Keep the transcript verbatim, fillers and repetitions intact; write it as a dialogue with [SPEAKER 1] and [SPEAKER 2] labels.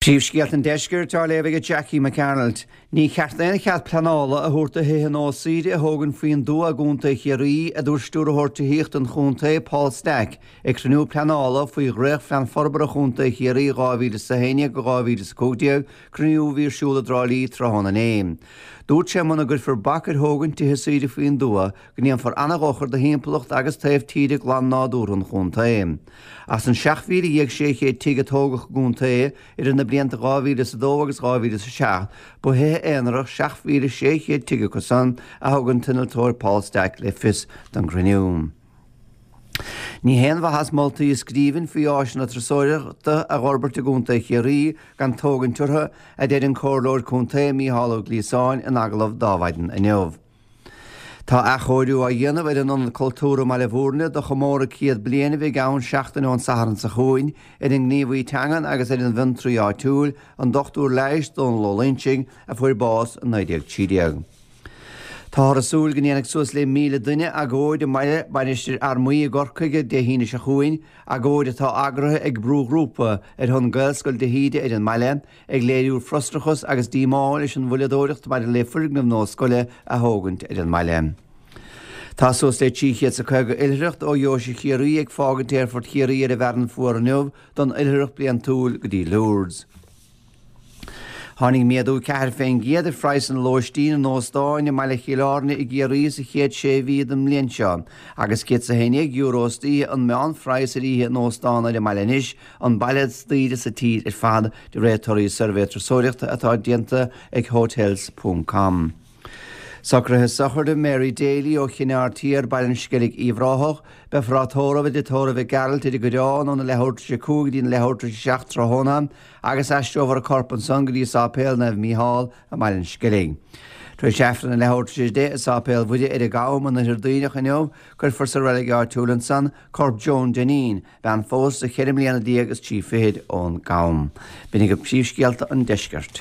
[SPEAKER 1] Príomhscéalta an Deiscirt á léamh ag Jackie McArnold. Ní cheart aon chead pleanála a thabhairt do thithe nua saoire a thógaint faoin dtuath i gContae Chiarraí, a dúirt Stiúrthóir Tithíochta an Chontae, Paul Stack, ag cruinniú pleanála faoi Dhréachtphlean Forbartha Chontae Chiarraí dhá mhíle is a haon déag go dhá mhíle is a cúig déag, cruinniú a bhí ar siúl i dTrá Lí tráthnóna inné. Dúirt sé muna gcuirfear bac ar thógaint tithe saoire faoin dtuath, go ndéanfar an-dhochar do thimpeallacht agus taobh tíre glan nádúrtha an chontae. As an seacht mhíle dhéag sé chéad tigh a tógadh i gcontae idir na blianta dhá mhíle is a dó agus dhá mhíle is a seacht, ba thithe aonarach seacht mhíle sé chéad tigh acu san, a thug an t-innealtóir Paul Stack le fios don gcruinniú. Ní haon mhaitheas moltaí i scríbhinn faoi áiseanna turasóireachta a fhorbairt i gContae Chiarraí gan tógaint orthu, a deir an Comhairleoir Contae Mícheál Ó Gliasáin in agallamh d'Adhmhaidin inniu. Tá athchóiriú á dhéanamh ar an Ionad Cultúrtha i mBaile Bhúirne do chomóradh céad bliain a bheidh ann seachtain ón Satharn seo chugainn ar an ngníomhaí teangan agus ar an bhfiontraí áitiúil, an dochtúir leighis Dónal Ó Loingsigh, a fuair bás i naoi déag trí déag. Táthar ag súil go ndéanfaidh suas le míle duine agóid i mbaile Mhainistir Fhear Maí i gCorcaigh Dé hAoine seo chugainn, agóid atá eagraithe ag brúghrúpa ar shon Gaelscoil de hÍde ar an mbaile, ag léiriú frustrachas agus díomá leis an mhoilleadóireacht maidir le foirgneamh nua scoile a thógaint ar an mbaile. Tá suas le trí chéad is caoga oilithreacht ó Dheoise Chiarraí ag fágaint Aerfort Chiarraí ar an bhFearann Fuar inniu don oilithreacht bliantúil go dtí Lourdes. Tháinig méadú ceathair fén gcéad ar phraghsanna lóistín in óstáin i mbaile Chill Airne i gCiarraí sa chéad sé mhí den mbliain seo, agus céad is a haon déag euro istoíche an meánphraghas ar oíche in óstán ar an mbaile anois, an baile is daoire sa tír ar fad, de réir torthaí suirbhé turasóireachta atá déanta ag Hotels ponc com. Socruithe sochraide Mary Daly ó Chinn Aird Thiar, Baile an Sceilg, Uíbh Ráthach. Beifear á tórramh i dtigh tórraimh Mhic Gearailt ar an gCoireán óna leathuair tar éis a cúig go dtí na leathuair tar éis a seacht tráthnóna agus aistreofar a corp ansan go dtí Sáipéal Naomh Mícheál i mBaile an Sceilg. Tar éis Aifreann a leathuair tar éis a deich i Sáipéal Mhuire ar an gCam in Oirthear Duibhneach inniu, cuirfear sa reilig áitiúil ansan corp Joan Dineen, bean phósta cheithre mbliana déag is trí fichid ón gCam. B'in agaibh príomhscéalta an deiscirt.